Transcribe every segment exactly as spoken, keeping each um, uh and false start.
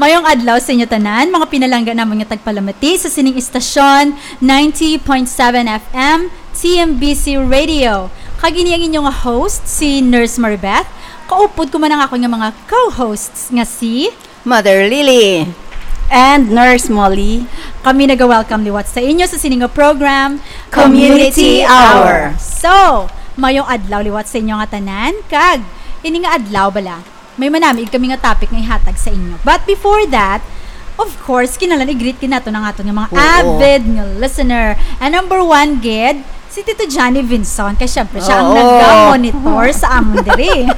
Mayong adlaw sa inyo tanan, mga pinalangga namon nga tagpalamati sa sining istasyon, ninety point seven F M, T M B C Radio. Kag ini ang inyo nga host, si Nurse Maribeth. Kaupod ko man ang akon nga mga co-hosts nga si Mother Lily. And Nurse Molly. Kami naga-welcome liwat sa inyo sa sini nga program, Community Hour. So, mayong adlaw liwat sa inyo nga tanan, kag ini nga adlaw bala, may manamig kami nga topic nga ihatag sa inyo. But before that, of course, kinahanglan i-greet gid nato ang aton nga mga Oo. avid nga listener. And number one gid, si Tito Johnny Vinson. Kay syempre, siya ang Oo. nagka-monitor sa amon diri.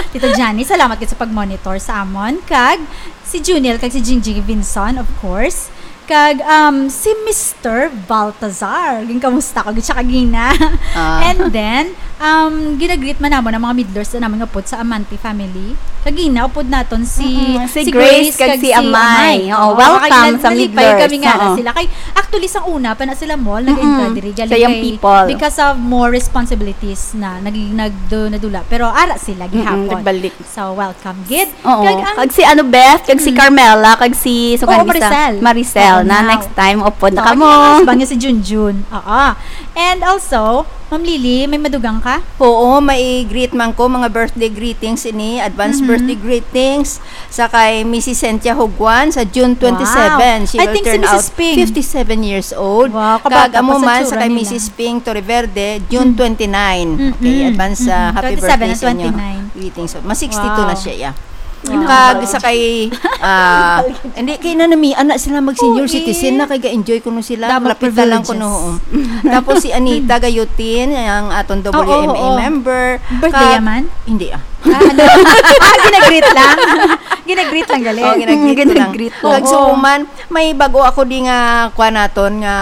Tito Johnny, salamat gid sa pag-monitor sa amon. Kag si Juniel, kag si Jingjing Vinson, of course. Kag, um, si Mister Baltazar. Ginkamusta ko gid siya kagina. Ah. And then, um, ginagreet man namon ang mga middlers na namon nga pud sa Amante family. Kagina, upod naton si, Mm-mm. Si si Grace Grace kag kag si si Amay. Amay. Oo, Oo, welcome kag sa nalipay Middlers. kami nga na Oo. sila. Kay, actually, sang una pa na sila mall, Mm-mm. nag-entra diri. Galing Sa young kay, people. because of more responsibilities na, naging, nagdo-, nadula. Pero ara sila Mm-mm, gihapon. nagbalik. So, welcome, gid. Oo. Kag ang Kag si ano, Beth, kag si Mm. Carmela, kag si, so Oo, kan isa, Maricel. Maricel, Oo, na now. next time, upod na Oo, kamo. ano yung husband niya si Junjun? Oo. And also, Ma'am Lily, may madugang ka? Oo, may greet man ko, mga birthday greetings ini, advance Mhm. birthday greetings sa kay Missus Cynthia Huguan sa June twenty-seven. Wow. She I will think si turn Missus out Ping. fifty-seven years old. Wow, Kag kabata amo pa sa man sa tsura kay nila. Missus Ping Torreverde, June Mm. twenty-nine. Mm-mm. Okay, advance, ah, Mm-mm. happy twenty-seven birthday and sa inyo. twenty-nine. Greetings. Mas sixty-two na Wow. siya, yeah. Wow. Kag sa kay, ah, hindi, kay nanami, anak sila mag-senior Oo, citizen eh. na, kay ga-enjoy kuno sila, Damo malapit na lang privileges. kuno, oo. Tapos si Anita Gayutin, ang aton Oo, W M A oo. member. Birthday Kag, yaman? Hindi, ah. Ah, ano? Ah, ginagreet lang. Ginagreet lang, gali. Oh, ginagreet Mm, ko lang. ginagreet ko. Kag Oo. suman, may bago ako di nga, kuha naton, nga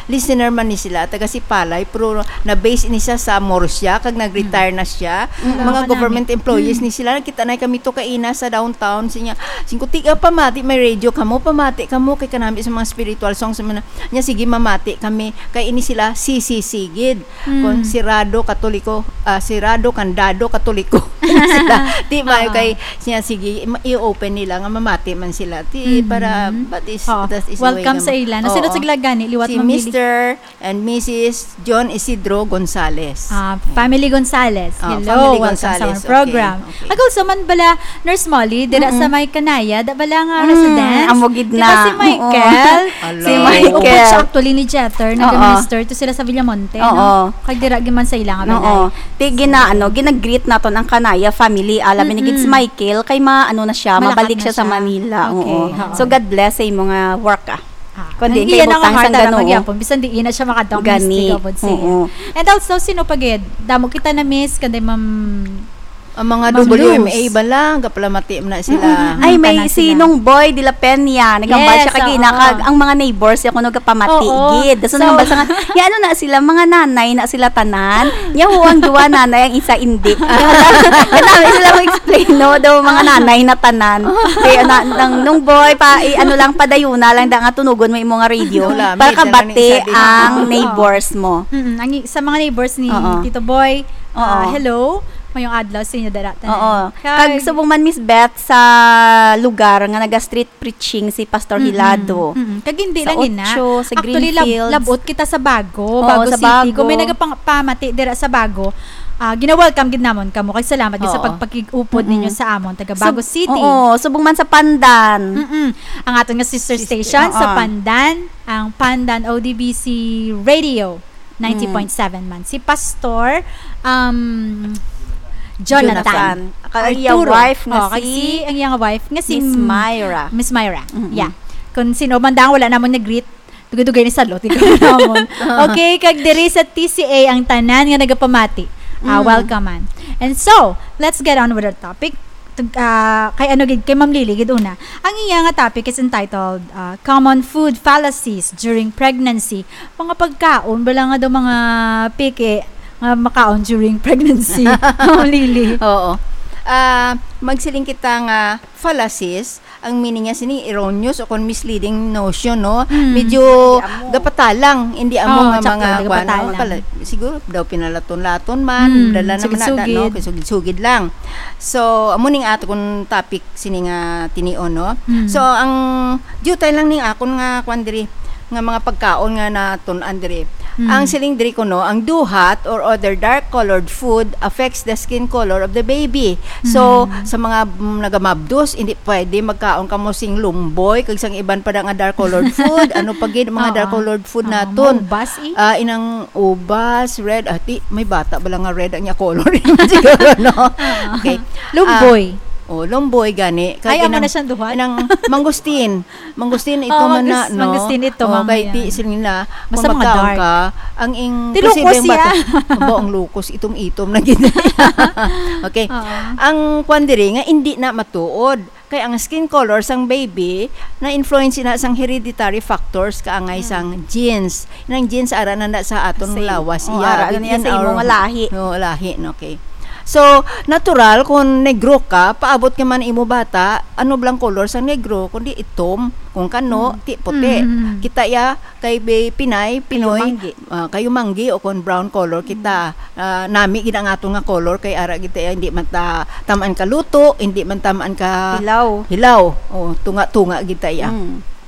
listener man ni sila, taga Sipalay, pero na-base ni siya sa Murcia, kag nag-retire Mm. na siya. Mm. Mga Wala ka government namin. employees Mm. ni sila, nakita na kami to kaina sa downtown, siya, singko, "Tiga, pamati, may radio kamo, pamati kamo, kay kanami sa mga spiritual songs, sa mga," niya, "Sige, mamati kami, kay ini sila, C C C gid." Mm. Kung sirado, Katoliko, ah, sirado, kandado, Katoliko sila. Di ba, Oo. kay siya, sige, ma-, i-open nila nga mamati man sila. Di, Mm. para, but is, Oo. that is Welcome way sa naman. ila. Nasunod Oo. sa ila gani, liwat Si mamili. Mister and Missus John Isidro Gonzales. Ah, Family Gonzales. Oo, Hello, Family welcome sa Gonzales. among program. Okay, okay. Kag also man bala, Nurse Molly, dira Mm-mm. sa may Kanaya, da bala nga Mm, resident? amo gid Di ba na. si Michael? Oo. Ala, Si oo. Michael. Ubod siya actually ni Jeter, Oo. nag-minister to sila sa Villamonte, Oo. no? Kag dira gid man sa ila nga Oo. balay. Ti gina-, ano, ginag-greet naton ang Kanaya family. Ala, Mm-mm. binigid si Michael, kay ma-, ano na siya, Malakat mabalik na siya sa siya. Manila. Okay, Oo. oo. So, God bless sa imo nga work, ah. Ah, Kundi ang kay iya na nga butang heart sang alam Ginoo. Magyapon, bisan di ina siya makadong Gani. mistig, abot siya. Oo. And also, sino pa gid? Damo kita na miss, kanday Ma'am, Ang mga Ma'am W M A Luz. bala, gapalamati man na sila. Mm-mm. Ay, Ang may tanan si sila. Nong Boy de la Peña, nagambal Yes, siya kagina, oo. kag ang mga neighbors, ako nagapamati Oo. gid. So, So, nagambal sa nga, ya, ano na sila, mga nanay na sila tanan. Ya, ho, ang duwa nanay, ang isa hindi. Kadami sila mag-explain, no? Daw mga Ah. nanay na tanan. Kaya na, nang, Nong Boy, pa, i-, ano lang, padayuna lang, da nga tunugon mo imo nga radio. Wala, para may kabati tanan isa din. ang Oo. neighbors mo. Mm-mm. Ang i-, sa mga neighbors ni Oo. Tito Boy, ah, Oo. hello. Mayong adlaw sa inyo, dara tanan. Oo. Kag Kag subong man, Miss Beth, sa lugar nga naga-street preaching si Pastor Mm-mm. Hilado. Mm-mm. Kag hindi Sa lang ina. Ocho, sa Actually, lab-, Greenfields. labot kita sa Bago, Oo, Bago sa City. Kung may Bago. nagapang-, pamati dira sa Bago, ah, gina-welcome gid namon kamo. Kag salamat gid sa Oo. pagpakig-upod Mm-mm. ninyo sa amon, taga Sub-, Bago City. oo, subong man sa Pandan. Mm-mm. Ang aton nga sister Sister, station sa oo. Pandan, ang Pandan O D B C Radio. ninety point seven Mm. man. Si Pastor, um, Jonathan Jonathan. Kag ang iya Arturo. wife nga Oh, kag si si, ang iyang wife nga si Miss M-, Myra. Miss Myra. Mm-mm. Yeah. Kung sino man dang wala namon nag-greet, dugay-dugay ni salot, ikaw namon. Okay, kag diri sa T C A ang tanan nga nagapamati. Ah, Mm. welcome man. And so, let's get on with our topic. Tug-, ah, kay ano gid, kay Ma'am Lily gid una. Ang iya nga topic is entitled, ah, Common Food Fallacies During Pregnancy. Mga pagkaon, bala nga daw mga peke nga makaon during pregnancy. Ma'am Lily. Oo. Ah, magsiling kita nga fallacies, Ang meaning niya sini erroneous o kon misleading notion, no? Mm. Medyo gapatalang, hindi amo nga mga kuwan, no? Pala, siguro daw pinalaton-laton man, dala naman na, no? Sugid-sugid lang. So, amo ning ato kung topic sini nga tinion, no? Mm. So, ang diutay lang ning akon nga kuwan diri, nga mga pagkaon nga natun-an diri. Mm. Ang siling diri kuno, ang duhat or other dark colored food affects the skin color of the baby. So, mm, sa mga, mm, nagamabdos, hindi pwede magkaon kamo sing lumboy kag sang iban pa da nga dark colored food. Ano pa gid mga dark colored food naton? Ubas, eh. Ah, inang ubas, red, ah, ti, may bata ba lang nga red ang iya color? Siguro, no? Okay. Lumboy. Ah, oh, lumboy gani. Kag amo na siyang duhat? Inang mangustin. Mangustin ito man na, no? Mangustin ito, kay ti sila nila, basta mga dark. Ka, ang ing, tilukos siya. Abo, ang lukos, itom-itom na gid. Okay. Oo. Ang kwan diri nga, hindi na matuod. Kay ang skin color sang baby, na-influence na sang hereditary factors kaangay sang genes. Nang genes, ara na na sa aton lawas. Same. Oh, iya, ara na niya sa imo nga lahi. No, lahi, no, okay. So, natural kung negro ka, paabot ka man imo bata, ano blang color sa negro, kundi itom, kung kano, ti puti. Mm. Kita ya, kay Pinay, Pinoy, kayumanggi, ah, kayumanggi o kung brown color kita. Ah, nami gid ang ato nga color, kay ara gid ta, hindi man ta tamaan ka luto, hindi man tamaan ka hilaw. Oh, tunga-tunga gid ta ya. Mm.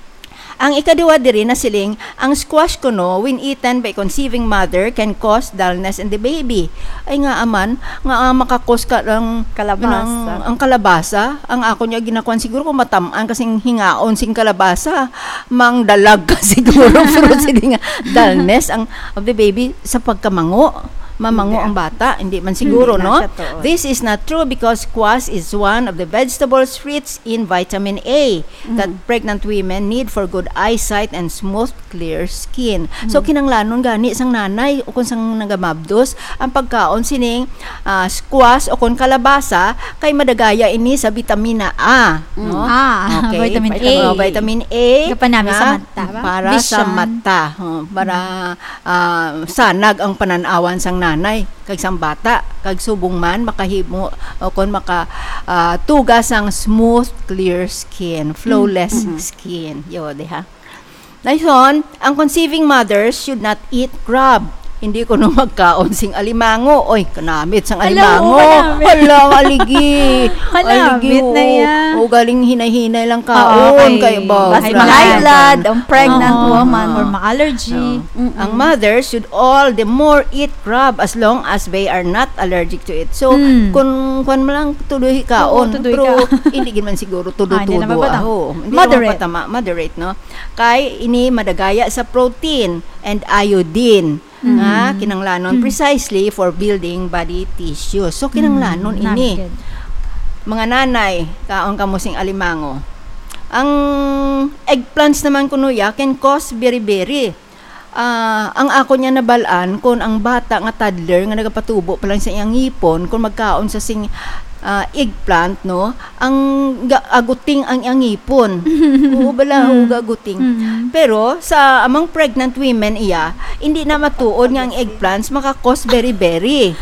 Ang ikaduha diri na siling, ang squash kuno, when eaten by conceiving mother, can cause dullness in the baby. Ay nga aman, nga, ah, makakos ka ng kalabasa. Ang kalabasa, ang ako niya ginakuan siguro kung matamaan kasing hingaon sing kalabasa, mangdalag ka siguro, pero sige nga, dullness ang, of the baby sa pagkamango. Mamango ang bata, hindi man siguro, no? This is not true because squash is one of the vegetables rich in vitamin A that pregnant women need for good eyesight and smooth, clear skin. So, kinanglanon gani sang nanay o kung sang nagamabdos ang pagkaon sining, ah, squash o kung kalabasa kay madagaya ini sa bitamina A, no? Ah, okay. Vitamin A. Oh, vitamin A. Gapanami sa mata, ba? Para sa mata. Oh, para, ah, sanag ang panan-awan sang nanay kag sang bata, kag subong man makahimo o kon maka, ah, tuga sang smooth, clear skin, flawless skin. Yo, diha. Dason, ang conceiving mothers should not eat crab. Hindi kuno magkaon sing alimango. Oy, kanamit sang alimango. Hala, aligi. Kanamit na ya. O, galing hinay-hinay lang kaon. Kay ba, basta ma-high blood, ang pregnant woman. Or ma-allergy. Ang mothers should all the more eat crab as long as they are not allergic to it. So, kung kwan mo lang, tuloy kaon. Pero hindi gid man siguro tudo-tudo. Hindi na mapatama. Moderate, no? Kay ini madagaya sa protein and iodine nga kinanglanon precisely for building body tissues. So, kinanglanon ini. Mga nanay, kaon kamo sing alimango. Ang eggplants naman kuno ya can cause beriberi. Ah, ang ako niya nabal-an, kung ang bata nga toddler nga nagapatubo pa lang sa iyang ngipon, kung magkaon sa sing, ah, eggplant, no, ang ga-, aguting ang iyang ngipon. Oo, bala, oo, gaguting. Pero sa among pregnant women, iya, hindi na matuod nga ang eggplants makakos beriberi.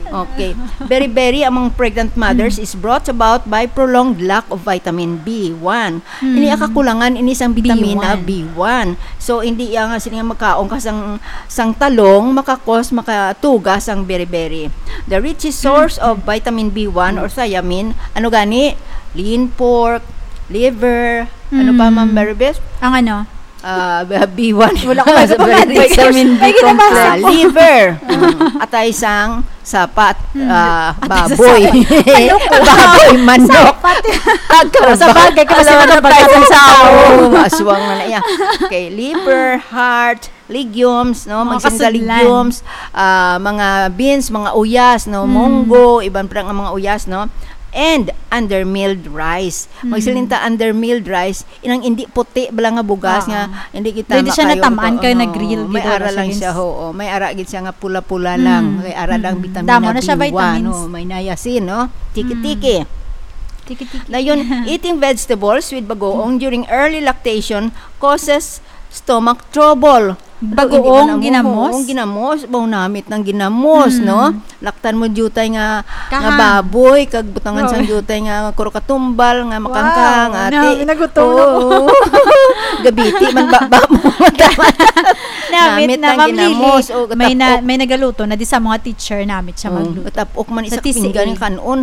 Okay. Beriberi among pregnant mothers is brought about by prolonged lack of vitamin B one. Ini ang kakulangan ini sang bitamina B one. So, hindi iya nga sini nga magkaon ka sang, sang talong, makakos, makatuga sang beriberi. The richest source of vitamin B one or thiamine, ano gani? Lean pork, liver, ano pa, Ma'am Maribeth? Ang ano? Ah, B one. Wala ko nasa vitamin B complex. Ah, liver. Mm. Atay sang sapat, ah, baboy. Baboy, manok. Sa bagay, kasi manok, pagkaon sa tao. Aswang na na iya. Okay, liver, heart, legumes, no? Mga kasudlan. Legumes, ah, mga beans, mga uyas, no? Munggo, iban pa nga mga uyas, no? And undermilled rice. Magsiling ta undermilled rice, inang indi puti bala nga bugas nga hindi kita makayo. Pwede siya natamaan kay nag-grill gid, may ara lang siya, oo. May ara gid siya nga pula-pula lang. Kay ara lang bitamina B one, may niacin, no? Tiki-tiki. Tiki-tiki. Dayon, eating vegetables with bagoong during early lactation causes stomach trouble. Bagoong ginamos? Bagoong ginamos, baw namit ng ginamos, no? Laktan mo diutay nga, nga baboy, kag butangan sang diutay nga kuro katumbal, nga makangkang, ati. Wow, nagutom na ko. Oo. Gabiti man ba, ba mo? Namit na, Ma'am Lily. May na, may nagaluto na di sa mga teacher, namit siya magluto. Matapok man isa ka pinggan yung kanon.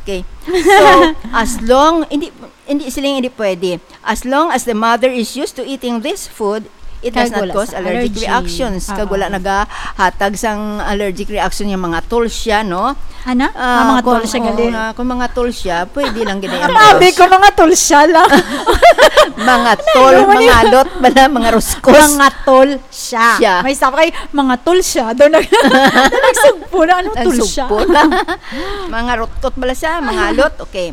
Okay. So, as long, hindi, hindi siling hindi pwede. As long as the mother is used to eating this food, it does not cause allergic reactions. Kag wala nagahatag sang allergic reaction yung mga tolsya, no? Ano? Ah, mga tolsya gali. Kung mga tolsya, pwede lang gid ang. Sabi ko, mga tolsya lang. Mga tol, mga lot, bala, mga ruskos. Mga tolsya. May isa pa kay mga tolsya. Doon nag-, nagsugpo na, ano, tolsya? Nagsugpo na. Mga rutkot bala siya, mga lot. Okay.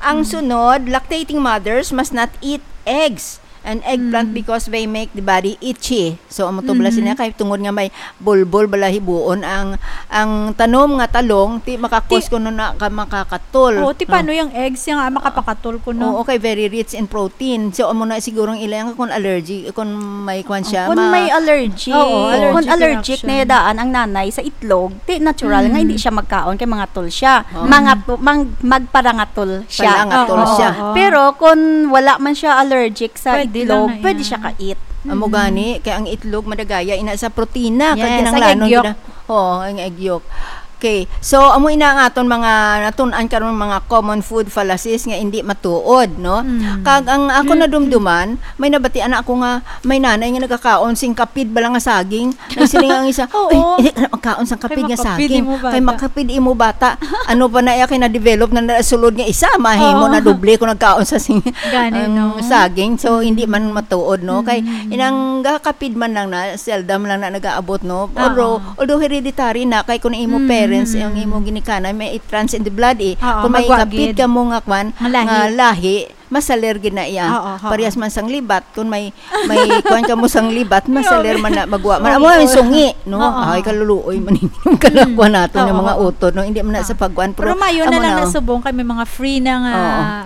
Ang sunod, lactating mothers must not eat eggs and eggplant because they make the body itchy. So, amo to bala sila kay tungod nga may bulbol bala hibuon ang, ang tanom nga talong, ti makakos kuno na ka makakatol. Oo, ti paano yung eggs nga makapakatol kuno? Oo, kay very rich in protein. So, amo na siguro ang ila nga kung allergy, kung may kwan siya, kung may allergy. Oo, allergic reaction. Kung allergic na daan ang nanay sa itlog, ti natural nga hindi siya magkaon kay mga tol siya. Mga to-, mang-, magparangatol siya. Parangatol siya. Oo, oo. Pero kung wala man siya allergic sa itlog, pwede siya ka-eat. Amo gani, kay ang itlog madagaya ina sa protina, kag kinahanglanon gina-, oo, ang egg yolk. Okay. So, amo ina ang aton mga natun-an karon, mga common food fallacies nga hindi matuod, no? Kag ang ako nadumduman, may nabatian na ako nga may nanay nga nagakaon sing kapid bala nga saging. Nagsiling ang isa, "Ay, hindi ka na magkaon sang kapid nga saging. Kay makapid imo bata." Ano pa na iya kay na-develop na nasulod nga isa, mahimo na doble kung nagkaon sa sing-, ang saging. So, hindi man matuod, no? Kay inang gakapid man lang na, seldom lang na nagaabot, no? Although, although hereditary na, kay kung imo parents, ang imo ginikanan, may it runs in the blood, eh. Kung may kapid ka mo nga kwan, nga lahi, masaler gid na iya. Parehas man sang libat, kung may, may kuwan ka mo sang libat, masaler man na, magwa man. Amo ang sungi, no? Ay, kaluluoy man yung kalakuan nato ng mga utod, no? Hindi man na sa pagkuan, pero mayo na lang na subong kay may mga free na nga,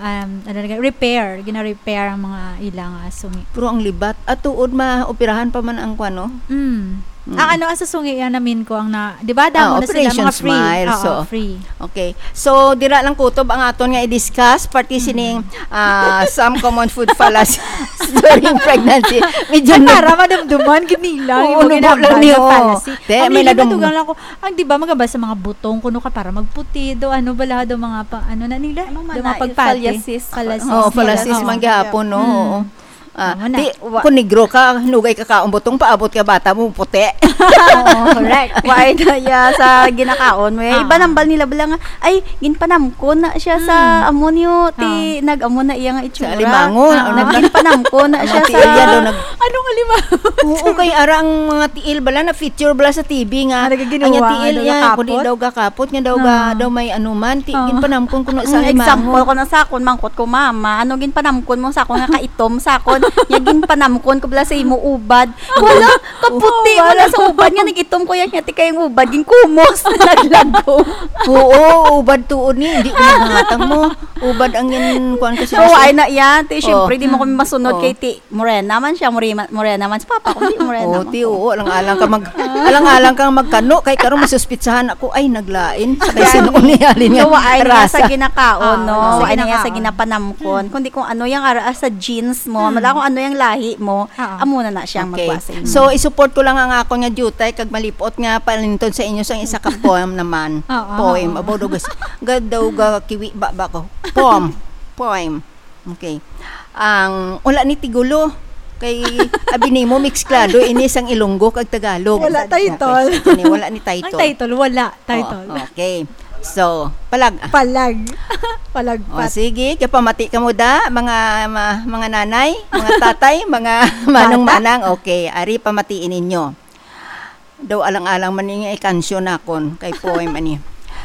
um, ano na, repair, gina-repair ang mga ilang, ah, sungi. Pero ang libat, at tuod maoperahan pa man ang kuwan, no? Mm. Ang ano, ang sa sungi, yan namin ko ang na, di ba, damo na sila, mga free. Operation Smile, oo, so, free. Okay. So, dira lang kutob ang aton nga i-discuss, pati sining, ah, some common food fallacies during pregnancy. Medyo para madumduman, gid nila, oo, yung mga nubo lang ni, fallacy. Te, ang may nila nadum- natugang lang ko, ang di ba, magaba sa mga butong, kuno ka para magputi, do, ano, bala, do, mga pa, ano na nila? Ano man do, na, mga pagpati. Fallacies. Fallacies. Oh, fallacies man gihapon, no? Oo. Ah, di, wa- kung negro ka, hinugay ka kaon butong, paabot ka bata mo, puti. Oo, correct. Why na iya sa ginakaon mo? Eh, iba nang bal nila bala nga, ay, ginpanamkon na siya sa amo niyo, ti, nag-amo na iya nga itsura. Sa alimangon, ano na? Nagginpanamkon na siya sa tiil niya daw, nag- Anong alimangon? Oo, kay ara ang mga tiil bala, na-feature bala sa T V nga, ang tiil niya, kundi daw gakapot, nga daw ga-, daw may anuman, ti, ginpanamkon ko na sa alimangon. Ang example ko na sa akon, mangkot ko, mama, ano ginpanamkon mo sa akon nga kaitom sa akon? Nga ginpanamkon ko bala sa imo ubad. Wala, kaputi mo na sa ubad nga nag-itom ko yan, nga ti kayong ubad, ginkumos, naglagom. Oo, ubad tuod ni, hindi ko naghatag mo. Ubad ang yan, kuwan ko siya. So, ay na yan, ti, syempre, di mo kami masunod kay ti, morena man siya, morena, morena man si papa ko, di morena man ko. Oo, ti, oo, alang-alang ka mag-, alang-alang kang magkano, kay karon masuspitsahan ako, ay, naglain. Sa kay sino ni halin nga rasa. Wa ay niya sa ginakaon, no? Wa ay niya sa ginapanamkon. Kundi kung ano yung ara sa genes mo, wala kung ano yung lahi mo, amo na na siyang magwa sa imo. So, isupport ko lang ang akon nga diutay kag malipot nga palinton sa inyo sang isa ka poem naman. Poem. Abo daw gas-, ga-, daw ga kiwi ba, ba ko? Poem. Poem. Okay. Ang, wala ni tigulo. Kay, abi nimo, mixklado, ini sang Ilonggo kag Tagalog. Wala title. Okay, sige, wala ni title. Ang title, wala title. Oh, okay. So, palag-, palag. Palagpat. Oh, sige, kay pamati ka mo da, mga, ma-, mga nanay, mga tatay, mga manong-manang. Okay, ari pamatiin ninyo. Daw alang-alang man ni nga ikansyon nakon kay poem ani.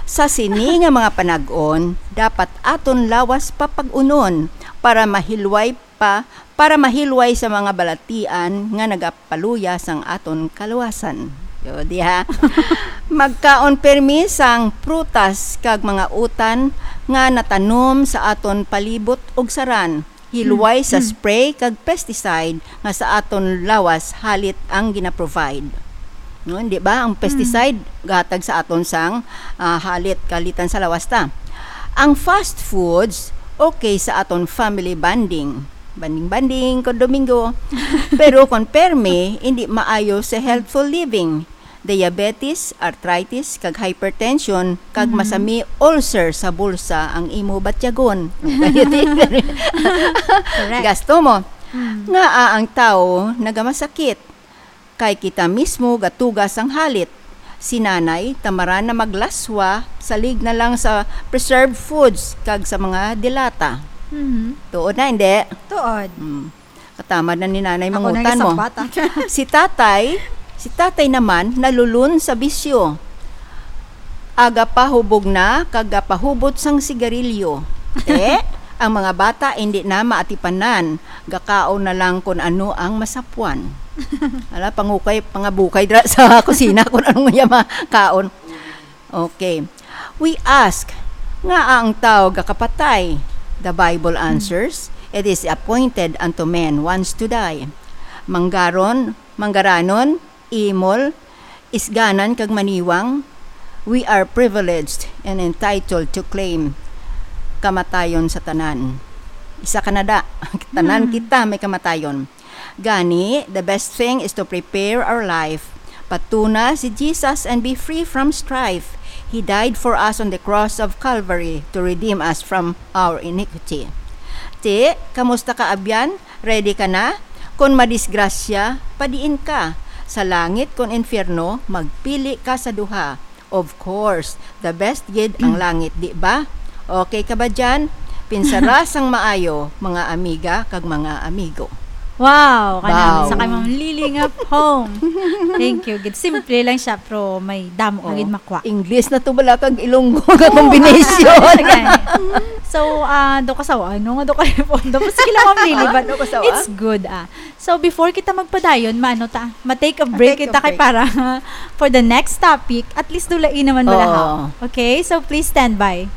Sa sini nga mga panag-on, dapat aton lawas papag-unon para mahilway pa, para mahilway sa mga balatian nga nagapaluya sang aton kaluwasan. Yo, diha. Magkaon permi sang prutas kag mga utan nga natanom sa aton palibot ug saran. Hilway sa spray kag pesticide nga sa aton lawas halit ang gina-provide. No, di ba? Ang pesticide gatag sa aton sang, ah, halit kalitan sa lawas ta. Ang fast foods okay sa aton family bonding. Bonding-bonding ko Domingo. Pero kon permi, hindi maayo sa healthful living. Diabetes, arthritis, kag hypertension, kag masami ulcer sa bulsa ang imo batyagon. Correct. Gasto mo. Ngaa ang tawo nagamasakit? Kay kita mismo gatuga sang halit. Si nanay, tamaran na maglaswa, salig na lang sa preserved foods kag sa mga dilata. Mhm. Tuod na, hindi? Tuod. Hmm. Katamad na ni nanay Ako na mangutan mo. Sa bata. Si tatay, si tatay naman nalulun sa bisyo. Agapahubog na kag gapahubot sang sigarilyo. Te, ang mga bata hindi na maatipanan, gakaon na lang kun ano ang masapwan. Ala, pangukay, pangabukay dira sa kusina kun anong iya makaon. Okay. We ask, ngaa ang tawo gakapatay? The Bible answers, "It is appointed unto men once to die." Manggaron, manggaranon, imol, isganan kag maniwang, we are privileged and entitled to claim kamatayon sa tanan. Isa ka na da. Tanan kita may kamatayon. Gani, the best thing is to prepare our life. Patuna si Jesus and be free from strife. He died for us on the cross of Calvary to redeem us from our iniquity. Ti, kamusta ka, abyan? Ready ka na? Kon madisgrasya, padiin ka. Sa langit kon infierno, magpili ka sa duha. Of course, the best gid ang langit, di ba? Okay ka ba dyan? Pinsara sang maayo, mga amiga kag mga amigo. Wow, kanang Wow. sa kay Ma'am Lily nga poem. Thank you. Gid simple lang siya, pero may damo ka Oh, gid makwa. English na to bala kag Ilonggo nga combination. Okay. So, ah, do kasawa, ano nga do ka po? Tapos sila Ma'am Lily, Ah, but do kasawa? It's good, ah. So, before kita magpadayon, maano ta, ma-take a break Ma-take a kita kay break. Para for the next topic, at least dulai naman bala ha. Oo. Okay? So, please stand by.